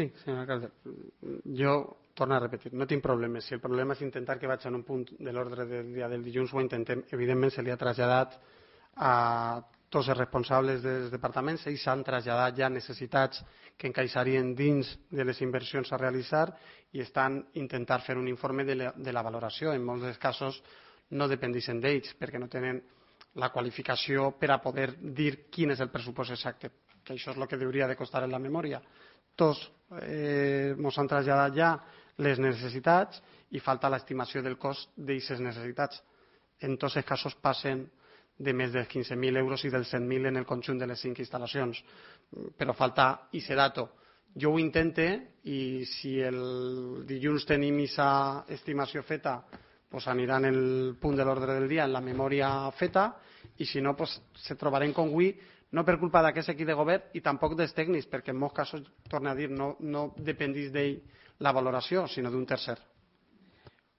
Sí, senyor alcalde. Jo torno a repetir, no tinc problemes. Si el problema és intentar que vaig en un punt de l'ordre del dia del dilluns, ho intentem. Evidentment, se li ha traslladat a tots els responsables dels departaments. Ells han traslladat ja necessitats que encaixarien dins de les inversions a realitzar i estan intentant fer un informe de la valoració. En molts dels casos no dependixen d'ells perquè no tenen la qualificació per a poder dir quin és el pressupost exacte, que això és el que hauria de constar en la memòria. Tots ens han traslladat ja les necessitats i falta l'estimació del cost d'aquestes necessitats. En tots els casos passen de més dels 15.000 euros i dels 100.000 en el conjunt de les 5 instal·lacions. Però falta aquest dato. Jo ho intente i si el dilluns tenim aquesta estimació feta, pues anirà en el punt de l'ordre del dia, en la memòria feta, i si no, pues, se trobarem com avui, no per culpa d'aquest equip de govern i tampoc dels tècnics, perquè en molts casos, torno a dir, no dependeix d'ell la valoració, sinó d'un tercer.